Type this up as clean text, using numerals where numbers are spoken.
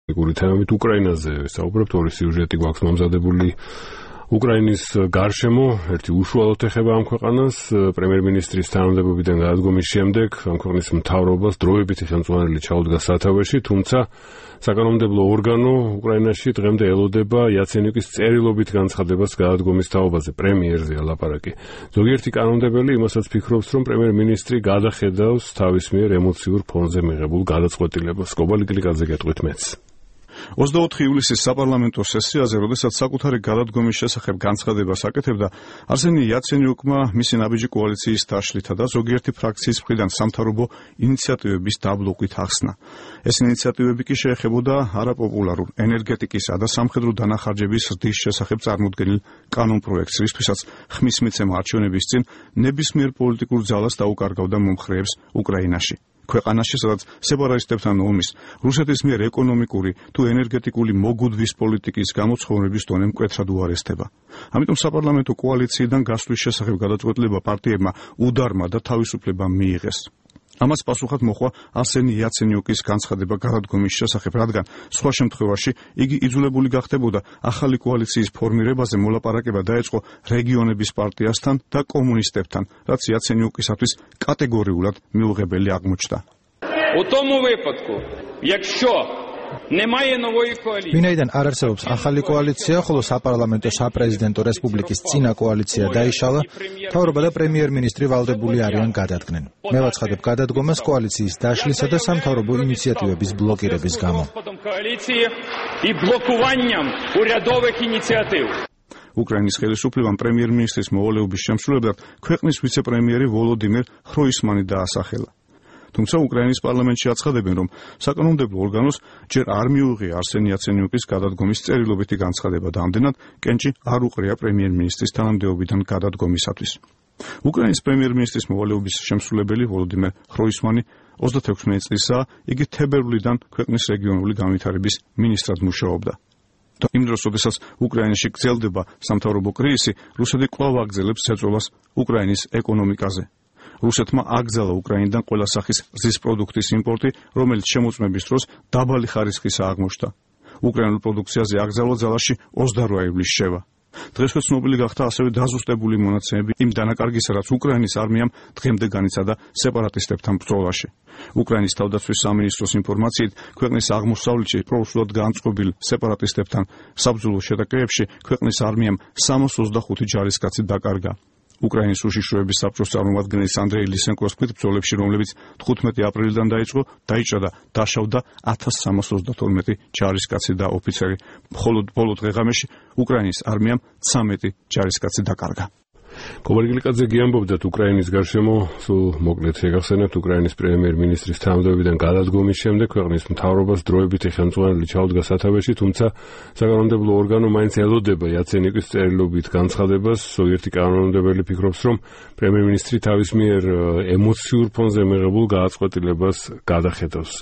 თემებით უკრაინაზე საუბრობთ, ორი სიუჟეტი გვაქვს მომზადებული უკრაინის გარშემო, ერთი უშუალოდ ეხება ამ ქვეყანას, პრემიერ-მინისტრის თანამდებობიდან გადადგომის შემდეგ ამ ქვეყნის მთავრობას დროებითი ხელმძღვანელი ჩაუდგა სათავეში, თუმცა საკანონმდებლო ორგანო უკრაინაში დღემდე ელოდება იაცენიუკის წერილობით განცხადებას გადადგომის თაობაზე, პრემიერზეა ლაპარაკი. ზოგიერთი კანონმდებელი იმასაც ფიქრობს, რომ პრემიერ-მინისტრი გადახედავს თავის მიერ ემოციურ ფონზე მიღებულ გადაწყვეტილებას. კობალი გლიკაძე გეტყვით მეც. 24 ივლისის საპარლამენტო სესიაზე, როდესაც საკუთარი გადადგომის შესახებ განცხადებას აკეთებდა, არსენი იაცენიუკმა მისი ნაბიჯი კოალიციის დაშლითა და ზოგიერთი ფრაქციის მხრიდან სამთავრობო ინიციატივების დაბლოკვით ახსნა. ეს ინიციატივები კი შეეხებოდა არაპოპულარულ ენერგეტიკისა და სამხედრო დანახარჯების ზრდის შესახებ წარმოდგენილ კანონპროექტს, რისთვისაც ხმის მიცემა არჩევნების წინ ნებისმიერ პოლიტიკურ ძალას დაუკარგავდა მომხრეებს უკრაინაში. ქვეყანაში, სადაც სეპარატისტებთან ომის, რუსეთის მიერ ეკონომიკური თუ ენერგეტიკული მოგუდვის პოლიტიკის გამოცხოვნების დონე მკვეთრად უარესდება. ამიტომ საპარლამენტო კოალიციიდან გასვლის შესახებ გადაწყვეტილება პარტიებმა უდარმა და თავისუფლება მიიღეს. ამას პასუხად მოხდა არსენი იაცენიუკის განცხადება გადადგომის შესახებ, რადგან სხვა შემთხვევაში იგი იძულებული გახდებოდა ახალი კოალიციის ფორმირებაზე მოლაპარაკება დაეწყო რეგიონების პარტიასთან და კომუნისტებთან, რაც იაცენიუკისათვის კატეგორიულად მიუღებელი აღმოჩნდა. ვინაიდან არ არსებობს ახალი კოალიცია, ხოლო საპარლამენტო საპრეზიდენტო რესპუბლიკის წინა კოალიცია დაიშალა, მთავრობა და პრემიერ-მინისტრი ვალდებული არიან გადადგნენ. მე ვაცხადებ გადადგომას კოალიციის დაშლისა და სამთავრობო ინიციატივების ბლოკირების გამო. უკრაინის ხელისუფლებამ პრემიერ-მინისტრის მოვალეობის შემსრულებლად ქვეყნის ვიცე-პრემიერი ვოლოდიმირ ხროისმანი დაასახელა. თუმცა უკრაინის პარლამენტში აცხადებენ, რომ საკანონმდებლო ორგანოს ჯერ არ მიუღია არსენი იაცენიუკის გადადგომის წერილობითი განცხადება და ამდენად კენჭი არ უყრია პრემიერ-მინისტრის თანამდებობიდან გადადგომისათვის. უკრაინის პრემიერ-მინისტრის მოვალეობის შემსრულებელი ვოლოდიმირ ხროისმანი 36 წლისაა, იგი თებერვლიდან ქვეყნის რეგიონული განვითარების მინისტრად მუშაობდა. იმ დროს, როდესაც უკრაინაში გრძელდება სამთავრობო კრიზისი, რუსეთი კვლავ აგრძელებს ზეწოლას უკრაინის ეკონომიკაზე. რუსეთმა აკრძალა უკრაინიდან ყველა სახის რძის პროდუქტის იმპორტი, რომელიც შემოწმების დროს დაბალი ხარისხის აღმოჩნდა. უკრაინულ პროდუქციაზე აკრძალვა ძალაში 28 ივლისს შევა. დღესვე ცნობილი გახდა ასევე დაზუსტებული მონაცემები იმ დანაკარგისა, რაც უკრაინის არმიამ დღემდე განიცადა სეპარატისტებთან ბრძოლაში. უკრაინის თავდაცვის სამინისტროს ინფორმაციით, ქვეყნის აღმოსავლეთში პროუსულად განწყობილ სეპარატისტებთან საბრძოლო შეტაკებებში ქვეყნის არმიამ 325 ჯარისკაცი დაკარგა. უკრაინის უშიშროების საბჭოს წარმომადგენლის ანდრეი ლისენკოს თქმით, ბრძოლებში, რომლებიც 15 აპრილიდან დაიწყო, დაიჭრა და დაშავდა 1332 ჯარისკაცი და ოფიცერი. მხოლოდ ბოლო დღე-ღამეში უკრაინის არმიამ 13 ჯარისკაცი დაკარგა. კობალი გლიკაძე გიამბობდათ უკრაინის გარშემო, სულ მოკლედ შეგახსენებთ, უკრაინის პრემიერ-მინისტრის თანამდებობიდან გადადგომის შემდეგ ქვეყნის მთავრობას დროებითი ხელმძღვანელი ჩაუდგა სათავეში, თუმცა საკანონმდებლო ორგანო მაინც ელოდება იაცენიუკის წერილობით განცხადებას. ზოგიერთი კანონმდებელი ფიქრობს, რომ პრემიერ-მინისტრი თავის მიერ ემოციურ ფონზე მიღებულ გადაწყვეტილებას გადახედავს.